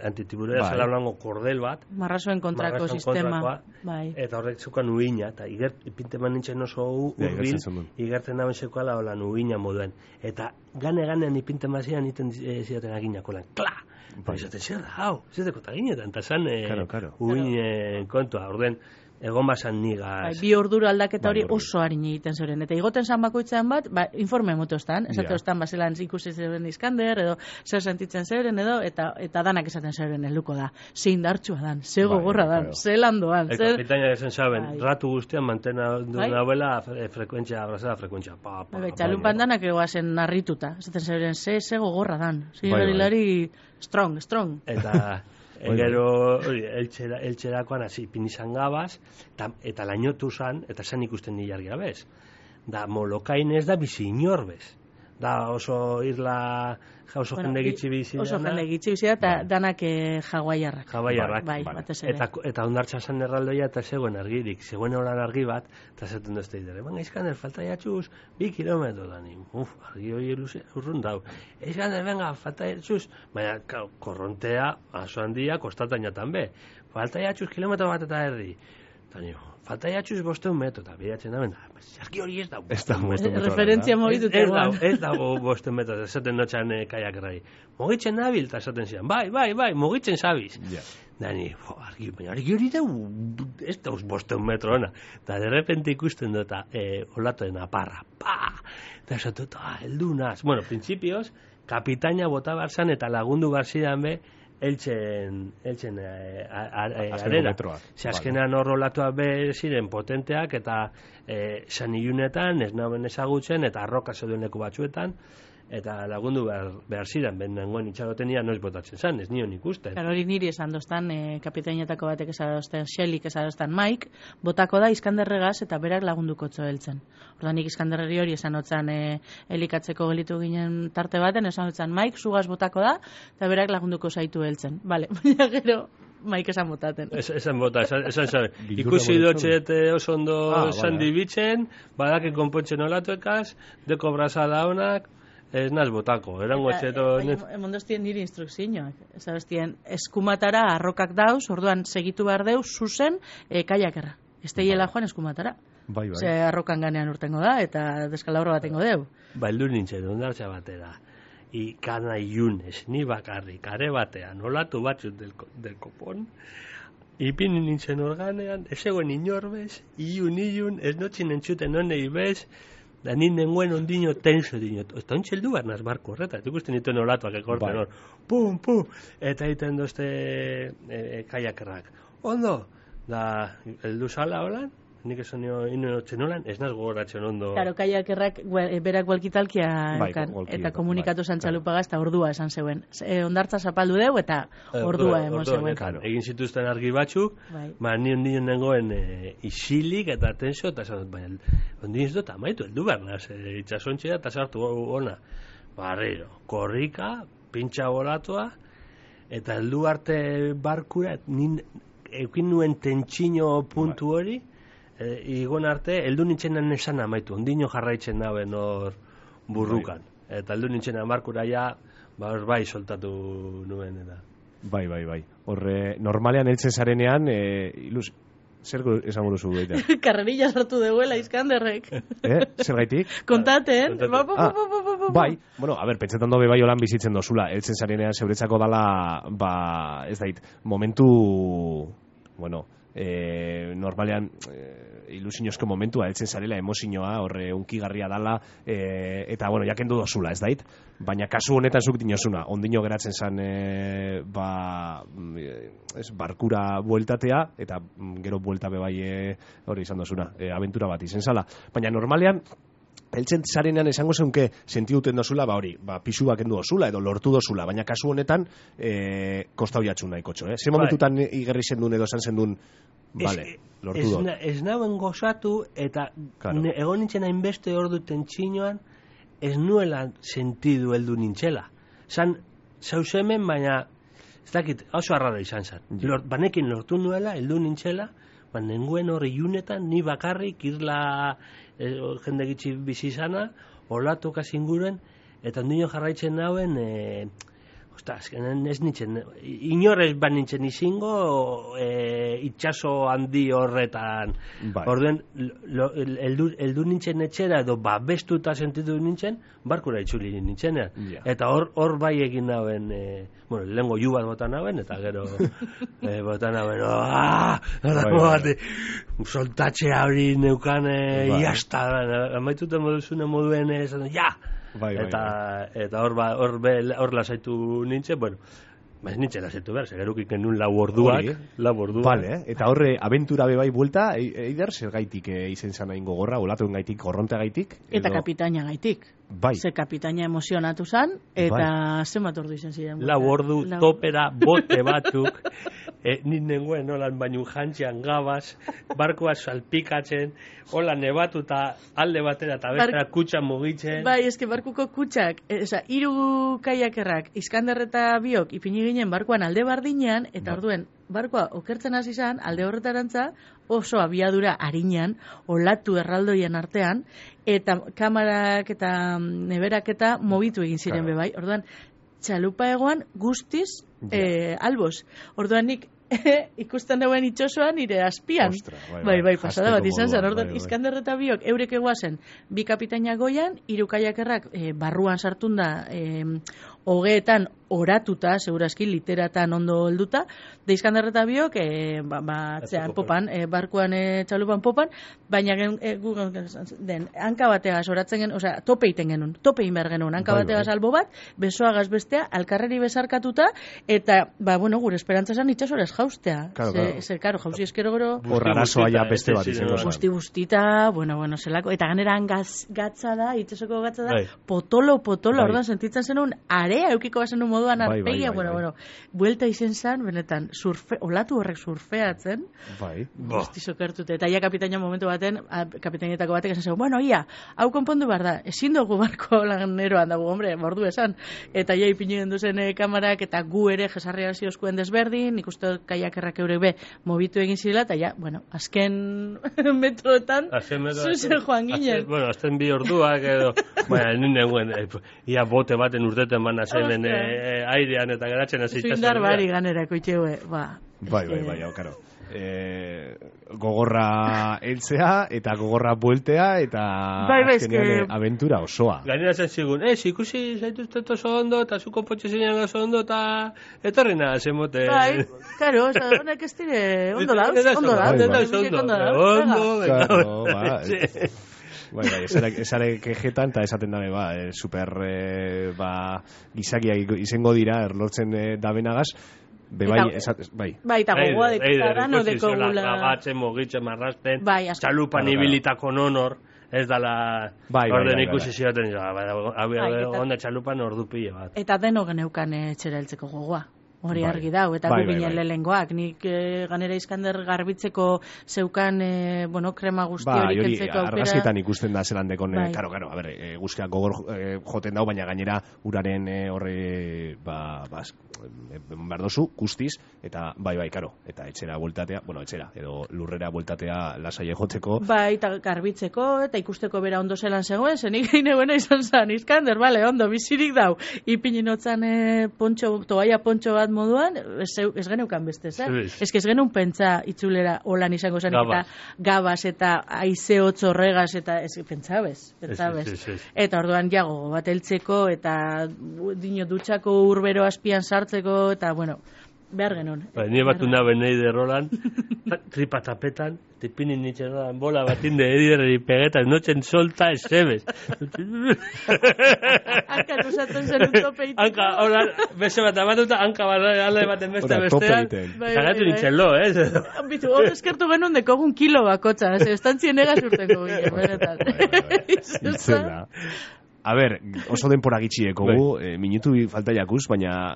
[SPEAKER 3] antitiburera zela blanco kordel bat.
[SPEAKER 4] Marrazoen kontrako sistema.
[SPEAKER 3] Bai. Eta horrek zukan uina, eta igert, ipinteman nintzen oso urbil, igertzen naben zeukala holan uina moduen. Eta gane-ganean ipinteman zian iten zidaten aginako lan. Kla! Bai. Izaten zer da, hau, zedeko eta ginetan, eta zan uin kontua, orden, egon basan nigaz.
[SPEAKER 4] Bai, bi orduro aldaketa hori oso harin egiten zeuren. Eta igoten zan bakoitzean bat, ba, informe motostan, esate ostan baselan ikusi zeuren Iskander, edo zer sentitzen zeuren, edo, eta eta danak esaten zeuren helduko da. Ze indartsua dan, ze gogorra dan, ze landoan.
[SPEAKER 3] Eta kapitaina esan saben, ratu guztian mantena duela frekuentzia, abrazada frekuentzia. Pa, pa,
[SPEAKER 4] bai, txalupan danak egoazen narrituta, esaten zeuren, ze, ze gogorra dan. Ze hilari strong, strong.
[SPEAKER 3] Eta... Gero, eltxera, eltxerakoan, hasi, pinizan gabaz, eta, eta lainotu zan, eta zan ikusten nilar gabez. Da, molokain ez da bizi inor bez. Da, oso irla, oso bueno, jende gitzi bizi dana.
[SPEAKER 4] Oso jende gitzi bizi da, eta bai. Danak eh, jaguaiarrak.
[SPEAKER 3] Jaguaiarrak,
[SPEAKER 4] bai,
[SPEAKER 3] bai.
[SPEAKER 4] Batez
[SPEAKER 3] ere. Eta, eta ondartza zan erraldoia, eta zegoen argirik, zegoen horan argi bat, eta zaten dozte idere. Banga, Iskander, falta jatxuz, bi kilometro da ni. Uf, argi hori urrun dau. Iskander, venga, falta jatxuz, baina, korrontea, aso handia, kostatan jatan be. Falta jatxuz, kilometro bat eta erdi. Eta nio, falta jatxuz bosteun metro, eta biratzen da, benda, argi hori ez da.
[SPEAKER 2] Ez da bosteun metro.
[SPEAKER 4] Referentzia mogitut eguan.
[SPEAKER 3] Ez dago bosteun metro, esaten notxan eh, kaiak rai. Mogitzen nabil, eta esaten zian, bai, bai, bai, mogitzen zabiz. Yeah. Dani, argi, baina argi hori da, ez da bosteun metro ona. Eta de repente ikusten dut, eh, olatoen aparra, pa! Eta esatu, ah, heldu naz. Bueno, principios, kapitaina bota barzan eta lagundu barzidan be, eltzen, eltzen e, arera. Ze azkenean hor olatua be ziren potenteak eta e, san ilunetan, ez naben ezagutzen, eta arroka zeuden leku batzuetan, eta lagundu behar, behar ziren, ben nengoen itxarotenia noiz botatzen zan, ez nion ikusten.
[SPEAKER 4] Claro, hori niri esan doztan, e, kapitainetako batek esadozten, Xelik esadoztan, Mike, botako da Iskanderregaz eta berak lagunduko txoeltzen. Orda nik Iskanderreri hori esan otzan e, elikatzeko gelitu ginen tarte baten, esan otzan, Mike, zugaz botako da, eta berak lagunduko zaitu heltzen. Vale, baina gero, Mike esan botaten.
[SPEAKER 3] Es, esan bota, esan, esan, esan. Ikusi dotxet oso ondo ah, esan vale. Dibitzen, badaken konpontzen olatuekaz, deko brazada honak, ez naz botako, erango etxeto...
[SPEAKER 4] Emondostien niri instrukzioak, ezabestien, eskumatara arrokak dauz, orduan segitu behar deuz, zuzen, e, kaiakerra. Ez teiela joan eskumatara.
[SPEAKER 2] Bai, bai.
[SPEAKER 4] Ze arrokan ganean urtengo da, eta deskalaurro batengo deu.
[SPEAKER 3] Ba, eldu nintzen, ondartza batera. Ikana iunez, ni bakarrik, kare batean, olatu batzut del, del kopon, ipin nintzen organean, ez egoen inorbez, iun, iun, ez notzin entzuten honei bez, da ninen guen ondino tenso dino. Eta ontxeldu behar naz barko horreta, eta ikusten dituen olatuak ekorten hor, pum, pum, eta egiten dozte e, e, kaiakerrak. Ondo, da, eldu zala holan, nik esan nio inotzen holan, ez naz gogoratzen ondo.
[SPEAKER 4] Claro, kaiakerrak berak gualkitalkia
[SPEAKER 2] bai,
[SPEAKER 4] ekan,
[SPEAKER 2] golki,
[SPEAKER 4] eta komunikatu
[SPEAKER 2] bai,
[SPEAKER 4] zantxalupagaz, eta ordua esan zeuen. E, ondartza zapaldu deu, eta ordua emon zeuen.
[SPEAKER 3] Claro. Egin zituzten argi batzuk,
[SPEAKER 4] bai.
[SPEAKER 3] Ma nion nion nengoen e, isilik eta tensio, eta esan dut, baina, ondin ez dut amaitu, eldu behar naz, e, itxasontxea eta sartu ona. Barriro, korrika, pintxa bolatua, eta heldu arte barkura, nin, eukin nuen tentsino puntu hori, e, igon arte, heldu nintzen esan amaitu, ondino jarraitzen daben hor burrukan. Bai. Eta heldu nintzen amarkura ja, ba, hor bai soltatu nuen eta.
[SPEAKER 2] Bai, bai, bai. Horre, normalean heltzen zarenean, e, ilus, zer esango duzu gaita?
[SPEAKER 4] Karrerilla sartu deuela Iskanderrek.
[SPEAKER 2] Eh? Zer gaitik?
[SPEAKER 4] Kontaten. Ba, ba, ba, ba, ba, ba, ba.
[SPEAKER 2] Bai, bueno, a ber, pentsetan dobe bai holan bizitzen dozula, heltzen zarenean zeuretzako dala, ba, ez dait, momentu, bueno, e, normalean e, ilusiozko momentua heltzen zarela, emozioa, horre unkigarria dala, e, eta, bueno, jakendu dozula, ez dait? Baina kasu honetan zuk dinozuna, ondino geratzen zan, e, ba, ez, barkura bueltatea, eta gero buelta bebai e, hori izan dozuna, e, aventura bat izen zala. Baina normalean, heltzen zarenean esango zeunke sentiduten dozula, ba hori, ba, pisu bakendu dozula, edo lortu dozula, baina kasu honetan, e, kostau jatxu nahiko txo, eh? Zer momentutan igerri zendun edo esan zendun, vale, lortu dut.
[SPEAKER 3] Ez nauen gozatu, eta claro. Egon nintzen hainbeste hor duten txinoan, ez nuela sentidu heldu nintzela. Zan, zauz hemen, baina, ez dakit, oso arrara izan zan. Lort, banekin lortu nuela, heldu nintzela, baina nenguen hori iunetan, ni bakarrik, irla e, jende gitzi bizi izana, olatu kasinguruen, eta ondino jarraitzen nauen, e, ostaz, ez nintzen, inorez ban nintzen izingo, e, itxaso handi horretan. Bai. Orduen, eldu nintzen etxera, edo babestuta sentitu nintzen, barkura itzuli nintzen. Yeah. Eta hor, hor bai egin nauen, e, bueno, lehengo ju bat botan nauen, eta gero e, botan nauen, aaa, bai, soltatzea hori neukan, e, bai. Iazta, amaituten moduzune moduen, e, ja! Bai, bai, eta bai. Eta hor ba, hor hor lasaitu nintzen, bueno, ez nintzen lasaitu behar, segeruk iken nun lau orduak, lau orduak.
[SPEAKER 2] Vale, eh? Eta horre aventura bebai buelta, eider zer gaitik e, izen zan hain gogorra, olatuen gaitik, korronte gaitik? Edo...
[SPEAKER 4] Eta kapitaina gaitik.
[SPEAKER 2] Bai.
[SPEAKER 4] Ze kapitaina emozionatu zan, eta bai. Zenbat ordu izan ziren.
[SPEAKER 3] Lau ordu, lau... topera, bote batzuk, e, ninen holan baino jantzian gabaz, barkoa salpikatzen, hola nebatuta alde batera eta bestera Bar... kutsa mugitzen.
[SPEAKER 4] Bai, eske barkuko kutsak, e, oza, hiru kaiakerrak, Iskander eta biok, ipini ginen barkoan alde bardinean, eta orduen, barkoa okertzen hasi izan, alde horretarantza, oso abiadura harinean, olatu erraldoien artean, eta kamarak eta neberak eta mobitu egin ziren claro. Bebai. Orduan, txalupa egoan guztiz ja. eh, albos. Orduan nik ikusten dauen itxosoan nire azpian.
[SPEAKER 2] Ostra, bai,
[SPEAKER 4] bai, bai, pasada bat izan zen. Orduan, bai, bai. Iskander eta biok eurek eguazen, bi kapitaina goian, hiru kaiakerrak eh, barruan sartunda eh, hogeetan oratuta, segurazki, literatan ondo helduta, de Iskandarreta biok, e, ba, ba, atzean, popan, e, barkuan e, txalupan popan, baina gen, e, gu, den, hanka bategaz oratzen gen, osea, tope iten genuen, tope egin behar genuen, hanka
[SPEAKER 2] bai,
[SPEAKER 4] bategaz
[SPEAKER 2] bai.
[SPEAKER 4] albo bat, besoagaz bestea, alkarreri besarkatuta, eta, ba, bueno, gure esperantza esan itxasorez jaustea.
[SPEAKER 2] Claro,
[SPEAKER 4] ze,
[SPEAKER 2] claro.
[SPEAKER 4] ze, karo, jauzi eskero gero,
[SPEAKER 2] Horra arazoa ja beste bat izango zen.
[SPEAKER 4] busti bustita, bueno, bueno, zelako, eta ganeran gaz, gatza da, itxasoko gatza da,
[SPEAKER 3] Bai.
[SPEAKER 4] potolo, potolo,
[SPEAKER 2] Bai.
[SPEAKER 4] orduan sentitzen zenun, area eukiko bazen moduan
[SPEAKER 2] Bai, bai,
[SPEAKER 4] arpegia,
[SPEAKER 2] bai,
[SPEAKER 4] bueno,
[SPEAKER 2] bai.
[SPEAKER 4] bueno, buelta izen zan, benetan, surfe, olatu horrek surfeatzen,
[SPEAKER 2] Bai.
[SPEAKER 4] busti sokertute, eta ia kapitaina momentu baten, a, kapitainetako batek esan zen, bueno, ia, hau konpondu behar da, ezin dugu barko laneroan dago, hombre, mordu esan, eta ia ipinu duzen e, kamarak, eta gu ere jesarri hasi oskuen desberdin, nik uste kaiakerrak eurek be, mobitu egin zirela, eta ja, bueno, azken metroetan,
[SPEAKER 3] Azken metro-
[SPEAKER 4] zuzen joan ginen.
[SPEAKER 3] Azken- Bueno, azten bi orduak edo, baina, nire guen, eh, ia bote baten urteten bana zenen
[SPEAKER 4] Ostia.
[SPEAKER 3] eh, airean eta geratzen hasi
[SPEAKER 4] Zuindar bari ganerako itxeue, ba.
[SPEAKER 2] Bai, bai,
[SPEAKER 4] eske-
[SPEAKER 2] bai, hau, karo. E, gogorra heltzea eta gogorra bueltea eta
[SPEAKER 4] Bai, bai,
[SPEAKER 2] azkenean,
[SPEAKER 4] eske-
[SPEAKER 2] eh, abentura osoa.
[SPEAKER 3] Gainera zen zigun, ez, ikusi zaituztet oso ondo, eta zu konpotxe zeinan oso ondo, eta etorri nahi zemote.
[SPEAKER 4] Bai, karo, oza, honek ez dire, ondo dauz,
[SPEAKER 3] Ez da
[SPEAKER 4] ondo
[SPEAKER 3] ondo,
[SPEAKER 4] dauz,
[SPEAKER 2] ez da
[SPEAKER 3] ondo,
[SPEAKER 4] ondo dauz,
[SPEAKER 3] ondo,
[SPEAKER 4] venga.
[SPEAKER 3] venga.
[SPEAKER 2] Claro, ba,
[SPEAKER 3] Sí.
[SPEAKER 2] Bai, bai, esare, esare kejetan eta esaten dabe, ba, eh, super, eh, ba, gizakia izango dira, erlortzen eh, dabenagaz, be bai,
[SPEAKER 4] Eta-
[SPEAKER 2] esat, bai.
[SPEAKER 4] Bai, eta gogoa
[SPEAKER 3] Eider,
[SPEAKER 4] dekita
[SPEAKER 3] eider,
[SPEAKER 4] dano
[SPEAKER 3] ikusi zela,
[SPEAKER 4] dekogula.
[SPEAKER 3] Gabatzen, mugitzen, marrasten,
[SPEAKER 4] Bai, asko.
[SPEAKER 3] txalupan
[SPEAKER 2] Claro, claro.
[SPEAKER 3] ibilitako nonor, ez dala,
[SPEAKER 2] Bai, bai,
[SPEAKER 3] orden
[SPEAKER 2] bai,
[SPEAKER 3] ikusi
[SPEAKER 2] bai.
[SPEAKER 3] zioten, ja, bai, hau
[SPEAKER 4] Bai, eta-
[SPEAKER 3] onda txalupan ordu pile bat.
[SPEAKER 4] Eta deno geneukan eh, etxera heltzeko gogoa. Hori
[SPEAKER 2] Bai.
[SPEAKER 4] argi dau, eta
[SPEAKER 2] Bai,
[SPEAKER 4] gu
[SPEAKER 2] bai,
[SPEAKER 4] ginen
[SPEAKER 2] bai.
[SPEAKER 4] lehengoak. Nik eh, ganera Iskander garbitzeko zeukan, eh, bueno, krema guzti
[SPEAKER 2] Ba,
[SPEAKER 4] hori
[SPEAKER 2] hori
[SPEAKER 4] kentzeko aukera.
[SPEAKER 2] argazkietan ikusten da zelan dekon,
[SPEAKER 4] Bai.
[SPEAKER 2] eh, karo, karo, a ber, eh, guztiak gogor eh, joten dau, baina gainera uraren eh, horre, ba, ba, eh, berdozu, guztiz, eta bai, bai, karo, eta etxera bueltatea, bueno, etxera, edo lurrera bueltatea lasai joteko,
[SPEAKER 4] Bai, eta garbitzeko, eta ikusteko bera ondo zelan zegoen, zenik gine buena izan zan, Iskander, bale, ondo, bizirik dau. Ipinin otzan eh, pontxo, toaia pontxo bat moduan, ez, ez geneukan beste, zer?
[SPEAKER 3] Ez.
[SPEAKER 4] Ez que ez genuen pentsa itzulera holan izango zen,
[SPEAKER 3] Gabaz.
[SPEAKER 4] eta gabaz, eta aize hotz horregaz, eta ez, pentsabez, pentsabez.
[SPEAKER 3] Ez, ez, ez, ez.
[SPEAKER 4] Eta orduan jago bat heltzeko, eta dino dutxako urbero azpian sartzeko, eta bueno, behar genuen.
[SPEAKER 3] Ba, nire batu nabe nahi de rolan, tripa tapetan, tipinin nintzen rolan, bola batin de ediderri pegetan, notzen solta ez zebez.
[SPEAKER 4] Hanka usatzen zen un tope iteko.
[SPEAKER 3] Hanka, hola, beste bat amatuta, hanka bat alde baten beste
[SPEAKER 2] Ora, tope
[SPEAKER 3] bestean.
[SPEAKER 2] egiten.
[SPEAKER 4] Bai,
[SPEAKER 3] Zagatu
[SPEAKER 4] bai, bai.
[SPEAKER 3] nintzen lo, ez?
[SPEAKER 4] Bitu, hor eskertu genuen dekogun kilo bakotza, ez estantzien egaz urteko ginen, benetan.
[SPEAKER 2] Bai, bai, bai.
[SPEAKER 4] Izan
[SPEAKER 2] Itzela. A ber, oso denpora gitxieko gu, eh, minutu falta jakuz, baina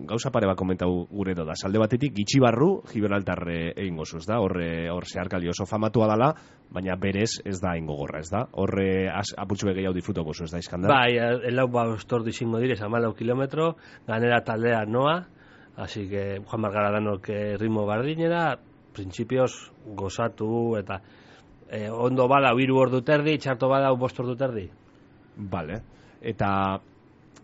[SPEAKER 2] gauza pare bat komentau gure da. Salde batetik, gitxi barru, Gibraltar eh, egingo zuz, da? Horre, hor zeharkali oso famatua dala, baina berez ez da ingo gorra, ez da? Horre, aputxu gehiago disfrutoko zuz, da, Iskandar?
[SPEAKER 3] Bai, elau ba ostordu izango direz, amalau kilometro, ganera taldea noa, así que Juan Margara danok eh, ritmo bardinera, printzipioz gozatu, eta eh, ondo bada hiru ordu terdi, txarto bada bost ordu terdi.
[SPEAKER 2] Vale. Eta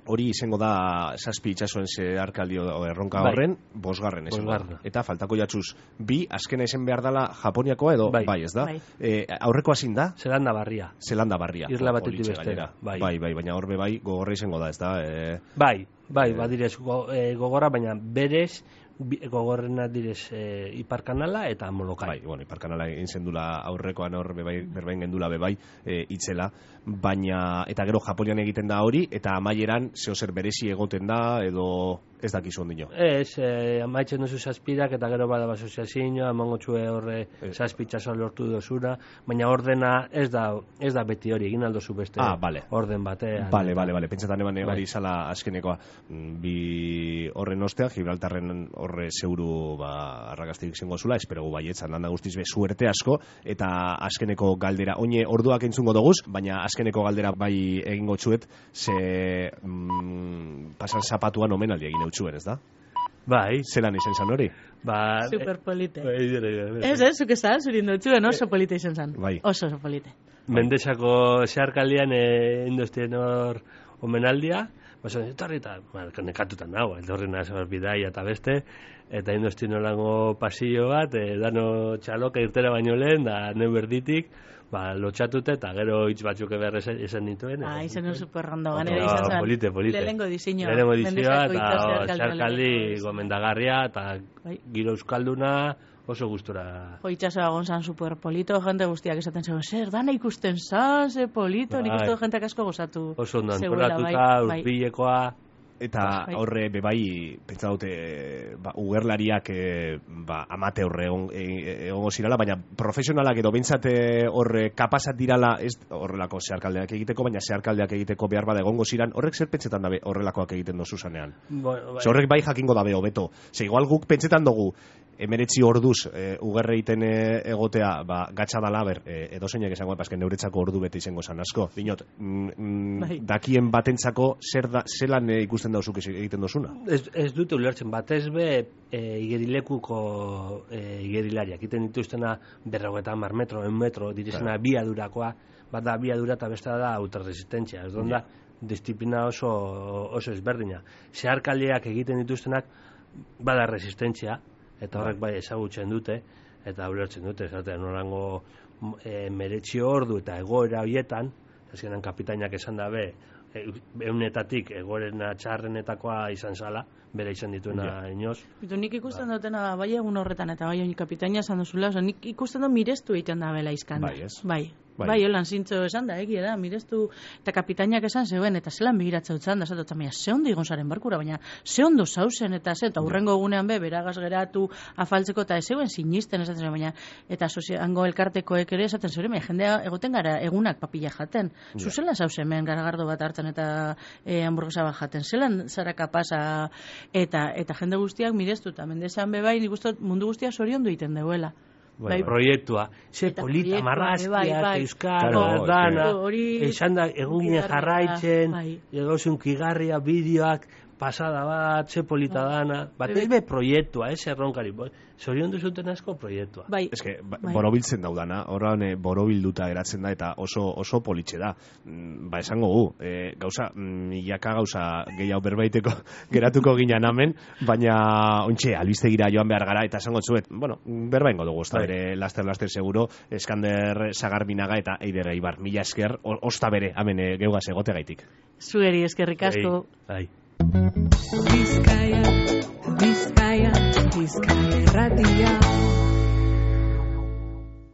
[SPEAKER 2] hori izango da zazpi itxasoen zeharkaldi o erronka
[SPEAKER 3] Bai.
[SPEAKER 2] horren, bosgarren izango da.
[SPEAKER 3] Bosgarren.
[SPEAKER 2] Eta faltako jatzuz, bi, azkena izan behar dala Japoniakoa edo, bai,
[SPEAKER 3] Bai.
[SPEAKER 2] ez da?
[SPEAKER 4] Bai.
[SPEAKER 2] Eh, aurreko hazin da?
[SPEAKER 3] Zelanda barria.
[SPEAKER 2] Zelanda barria.
[SPEAKER 3] Isla
[SPEAKER 2] O-
[SPEAKER 3] batetik
[SPEAKER 2] olitze
[SPEAKER 3] bestera,
[SPEAKER 2] gainera.
[SPEAKER 3] bai.
[SPEAKER 2] bai, bai, baina horbe bai gogorra izango da, ez da? Eh,
[SPEAKER 3] Bai, bai,
[SPEAKER 2] Eh.
[SPEAKER 3] badirez go, e, gogorra, baina berez bi- gogorrena direz e, Iparkanala eta Molokai.
[SPEAKER 2] bai, bueno, iparkanala egin zendula aurrekoan hor bebai, berbain gendula bebai e, itzela, baina, eta gero Japonian egiten da hori, eta amaieran zeo zer berezi egoten da, edo ez dakizu ondino.
[SPEAKER 3] Ez, e, amaitzen duzu zazpirak eta gero bada basoziazioa, emango txue horre
[SPEAKER 2] Eh.
[SPEAKER 3] zazpitxasoa lortu dozuna, baina ordena ez da, ez da beti hori, egin aldozu beste
[SPEAKER 2] Ah, bale.
[SPEAKER 3] orden batean.
[SPEAKER 2] Bale,
[SPEAKER 3] eta-
[SPEAKER 2] bale, bale, pentsatan eban
[SPEAKER 3] Bai.
[SPEAKER 2] hori izala azkenekoa. Mm, Bi horren ostean, Gibraltarren horre zeuru ba, arrakastik izango zula, espero gu baietzan, landa guztiz be, suerte asko, eta azkeneko galdera, oine orduak entzungo doguz, baina azkeneko galdera bai egingo txuet, ze mm, pasan zapatuan omenaldi egin eutxuen, ez da?
[SPEAKER 3] Bai,
[SPEAKER 2] Zelan izan zan hori?
[SPEAKER 3] ba...
[SPEAKER 4] Superpolite.
[SPEAKER 3] Bai, dire, dire.
[SPEAKER 4] Ez, ez, zuk esan, zurin dutxuen, oso polite izan zen.
[SPEAKER 2] Bai.
[SPEAKER 4] Oso oso polite.
[SPEAKER 3] Mendexako zeharkaldian e, industien hor omenaldia, Baina, etorri eta, nekatutan nago, etorri nazor bidaia eta beste, eta indozti nolango pasillo bat, e, dano txaloka irtera baino lehen, da neu berditik, ba, lotxatute eta gero hitz batzuk eber esan dituen.
[SPEAKER 4] Ah, izen un superrondo, ganera izan zen.
[SPEAKER 3] Polite, polite.
[SPEAKER 4] Lehenengo diseño.
[SPEAKER 3] Lehenengo diseñoa eta xarkaldi gomendagarria eta giro euskalduna, oso gustora.
[SPEAKER 4] Jo, itxasoa gonzan super polito, jente guztiak esaten zegoen, zer, dana ikusten zan, ze polito, nik uste jenteak asko gozatu.
[SPEAKER 3] Oso ondo antolatuta, urpilekoa.
[SPEAKER 2] Eta horre bebai, pentsa dute, ba, ugerlariak e, ba, amate horre egongo e, zirala, baina profesionalak edo bintzate horre kapasat dirala, ez horrelako zeharkaldeak egiteko, baina zeharkaldeak egiteko behar bada egongo ziran, horrek zer pentsetan dabe horrelakoak egiten dozu zanean? Bueno, bai. Horrek bai jakingo dabe hobeto. Ze igual guk pentsetan dugu, emeretzi orduz e, ugerre iten egotea, ba, gatsa dala, ber, e, edo zeinak esango, pasken neuretzako ordu bete izango zan asko. Dinot, mm, bai. Dakien batentzako zer da, zelan e, ikusten dauzuk egiten dozuna?
[SPEAKER 3] Ez, ez dute ulertzen, batez be e, igerilekuko e, igerilariak, egiten dituztena berrogeta hamar metro, en metro, direzena claro. Biadurakoa, bat da biadura eta besta da autorresistentzia, ez da, disiplina oso, oso ezberdina. Zeharkaldiak egiten dituztenak, bada resistentzia, eta horrek bai ezagutzen dute, eta ulertzen dute, esaten norango e, meretxio ordu eta egoera horietan, azkenan kapitainak esan dabe, eunetatik egoerena txarrenetakoa izan zala, bere izan dituena ja. Inoz.
[SPEAKER 4] Bitu, nik ikusten ba. Dutena bai egun horretan, eta bai honi kapitaina esan duzula, oso, nik ikusten dut mirestu egiten da bela izkan.
[SPEAKER 2] Bai, ez?
[SPEAKER 4] Bai. Bai, bai holan zintzo esan da, egia da, mirestu, eta kapitainak esan zeuen, eta zelan begiratza utzan da, zato, baina ze ondo igon zaren barkura, baina ze ondo zauzen, eta ze, eta hurrengo egunean be, beragaz geratu, afaltzeko, eta ez zeuen sinisten, esaten zeuen, baina, eta hango elkartekoek ere esaten zeuen, baina jendea egoten gara egunak papilla jaten, zu ja. Zelan zauzen, men garagardo bat hartzen, eta e, hamburguesa bat jaten, zelan zara kapasa, eta, eta jende guztiak mirestu, eta mendezean be bai, nik uste mundu guztia zoriondu egiten deuela.
[SPEAKER 3] Bai, bai, proiektua, ze polita marrazkiak, bai, euskal, dana, esan da, egun jarraitzen, bai. Egozun kigarria, bideoak, pasada bat, ze polita dana, bat ez be proiektua, ez erronkari, zorion duzuten asko proiektua.
[SPEAKER 2] Bai. Ez que, bai. Borobiltzen daudana, horrean e, borobilduta geratzen da, eta oso, oso politxe da. Ba, esango gu, e, gauza, milaka gauza gehiago berbaiteko geratuko ginen amen, baina, ontxe, albistegira joan behar gara, eta esango zuet, bueno, berbaingo dugu, osta bere, laster-laster seguro, Eskander Sagarbinaga eta Eider Eibar, mila esker, osta bere, amen, e, geugaz egote gaitik.
[SPEAKER 4] Zueri eskerrik asko.
[SPEAKER 3] Ai.
[SPEAKER 1] Bizkaia, Bizkaia, Bizkaia irratia.